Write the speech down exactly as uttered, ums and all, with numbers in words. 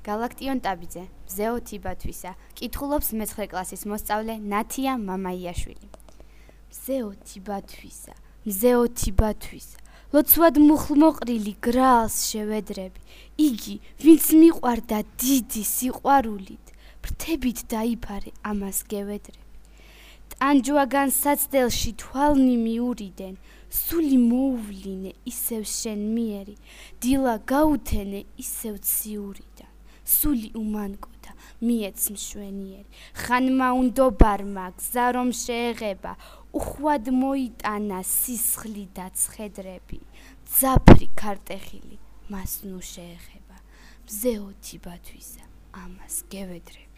გალაქტიონ ტაბიძე, მზეო თიბათვისა, კითხულობს მეცხრე კლასის მოსწავლე ნათია მამაიაშვილი. მზეო თიბათვისა, მზეო თიბათვისა, ლოცვად მუხლმოყრილი გრალს შევედრები, იგი, ვინც მიყვარდა დიდი სიყვარულით, ფრთებით დაიფარე ამას გევედრები. ტანჯვაგან საცდელში თვალნი მიურიდენ, სული მოუვლინე ისევ შენ მიერი, დილა გაუთენე ისევ ციურიდან, სული უმანკოთა მიეც მშვენიერი, ხანმა უნდობარმა გზა რომ შეეღება, უხვად მოიტანა სისხლი და ცხედრები, ძაფრი ქარტეხილი მას ნუ შეეხება, მზეო თიბათვისა ამას გევედრები.